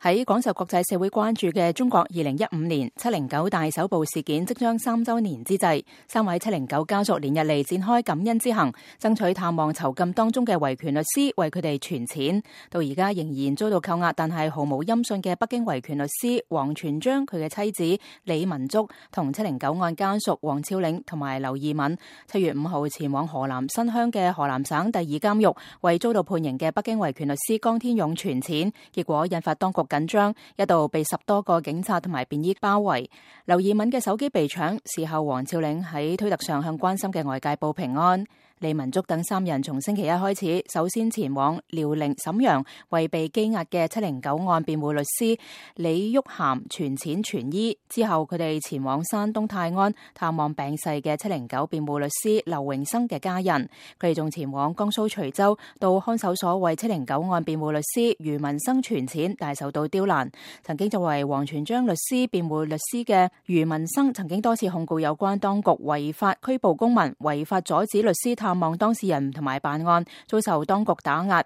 喺廣受國際社會關注嘅中國2015年709大搜捕事件即將3週年之際，3位709家屬連日嚟展開感恩之行，爭取探望囚禁當中嘅維權律師，為佢哋存錢。到而家仍然遭到扣押，但係毫無音訊嘅北京維權律師王全璋、佢嘅妻子李文足同709案家屬黃峭嶺同埋劉義敏，7月5號前往河南新鄉嘅河南省第二監獄，為遭到判刑嘅北京維權律師江天勇存錢，結果引發當局緊張，一度被10多個警察同埋便衣包圍。劉義敏嘅手機被搶，事後黃峭嶺喺推特上向關心嘅外界報平安。李文足等3人從星期一開始，首先前往遼寧瀋陽，為被羈押嘅709案辯護律師李玉涵存錢存醫。之後佢哋前往山東泰安探望病逝嘅709辯護律師劉榮生嘅家人。佢哋仲前往江蘇徐州，到看守所為709案辯護律師余文生存錢，但受到刁難。曾經作為王全璋律師辯護律師嘅余文生，曾經多次控告有關當局違法拘捕公民、違法阻止律師探望當事人同埋辦案，遭受當局打壓，